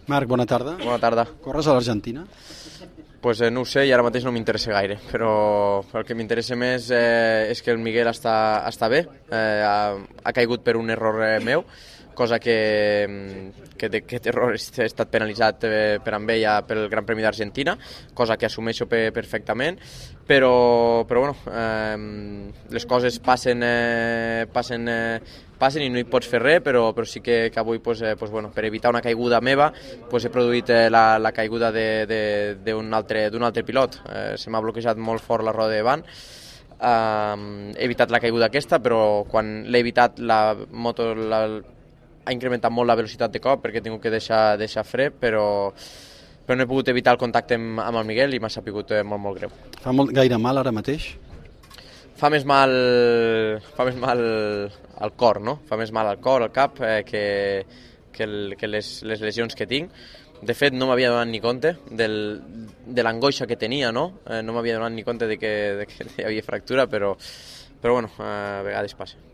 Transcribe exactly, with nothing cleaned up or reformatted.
Marc, bona tarda. Bona tarda. Corres a l'Argentina? Pues, eh, no ho sé i ara mateix no m'interessa gaire, però el que m'interessa més eh, és que el Miguel està, està bé, eh, ha, ha caigut per un error eh, meu, cosa que, que aquest error ha estat penalitzat eh, per amb ella pel Gran Premi d'Argentina, cosa que assumeixo pe perfectament, però, però bueno, eh, les coses passen, eh, passen, eh, passen i no hi pots fer res, però, però sí que, que avui pues, eh, pues, bueno, per evitar una caiguda meva pues, he produït eh, la, la caiguda d'un altre, d'un altre pilot. Eh, se m'ha bloquejat molt fort la roda de davant. Uh, he evitat la caiguda aquesta, però quan l'he evitat la moto la, ha incrementat molt la velocitat de cop perquè he tingut que deixar, deixar fre, però, però no he pogut evitar el contacte amb, amb el Miguel i m'ha sapigut eh, molt, molt greu. Fa molt, gaire mal ara mateix? Fa més mal, fa més mal al cor, no? Fa més mal al cor, al cap, eh, que, que, el, que les, les lesions que tinc. De fet, no m'havia donat ni compte del, de l'angoixa que tenia, no? Eh, no m'havia donat ni compte de que, de que hi havia fractura, però, però bueno, a vegades passa.